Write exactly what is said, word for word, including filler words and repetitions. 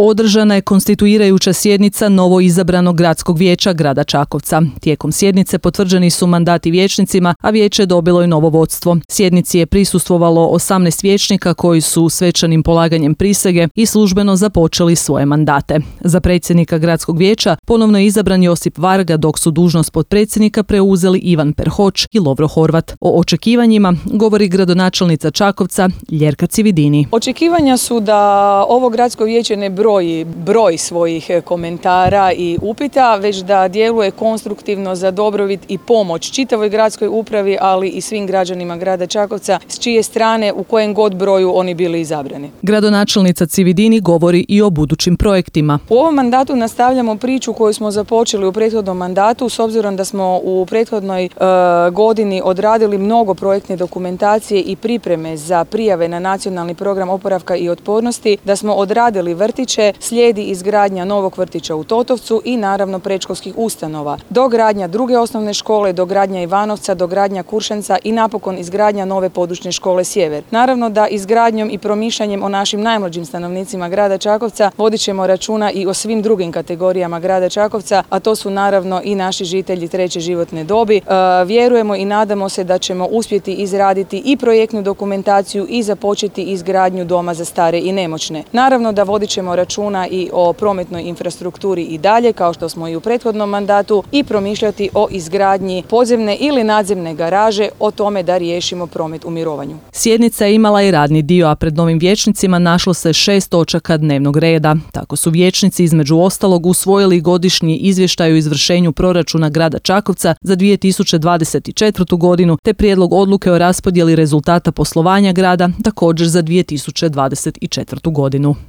Održana je konstituirajuća sjednica novoizabranog gradskog vijeća grada Čakovca. Tijekom sjednice potvrđeni su mandati vijećnicima, a vijeće je dobilo i novo vodstvo. Sjednici je prisustvovalo osamnaest vijećnika koji su svečanim polaganjem prisege i službeno započeli svoje mandate. Za predsjednika gradskog vijeća ponovno je izabran Josip Varga, dok su dužnost potpredsjednika preuzeli Ivan Perhoć i Lovro Horvat. O očekivanjima govori gradonačelnica Čakovca Ljerka Cividini. Očekivanja su da ovo gradsko vijeće ne broji broj svojih komentara i upita, već da djeluje konstruktivno za dobrobit i pomoć čitavoj gradskoj upravi, ali i svim građanima grada Čakovca, s čije strane u kojem god broju oni bili izabrani. Gradonačelnica Cividini govori i o budućim projektima. U ovom mandatu nastavljamo priču koju smo započeli u prethodnom mandatu, s obzirom da smo u prethodnoj e, godini odradili mnogo projektne dokumentacije i pripreme za prijave na nacionalni program oporavka i otpornosti, da smo odradili vrtiće, slijedi izgradnja novog vrtića u Totovcu i naravno predškolskih ustanova. Dogradnja druge osnovne škole, dogradnja Ivanovca, dogradnja Kuršanca i napokon izgradnja nove područne škole Sjever. Naravno da izgradnjom i promišljanjem o našim najmlađim stanovnicima grada Čakovca vodit ćemo računa i o svim drugim kategorijama grada Čakovca, a to su naravno i naši žitelji treće životne dobi. E, vjerujemo i nadamo se da ćemo uspjeti izraditi i projektnu dokumentaciju i započeti izgradnju doma za stare i nemoćne. Naravno da vodit ćemo računa i o prometnoj infrastrukturi i dalje, kao što smo i u prethodnom mandatu, i promišljati o izgradnji podzemne ili nadzemne garaže, o tome da riješimo promet u mirovanju. Sjednica je imala i radni dio, a pred novim vijećnicima našlo se šest točaka dnevnog reda. Tako su vijećnici između ostalog usvojili godišnji izvještaj o izvršenju proračuna grada Čakovca za dvije tisuće dvadeset četvrtu godinu, te prijedlog odluke o raspodjeli rezultata poslovanja grada također za dvije tisuće dvadeset četvrtu godinu.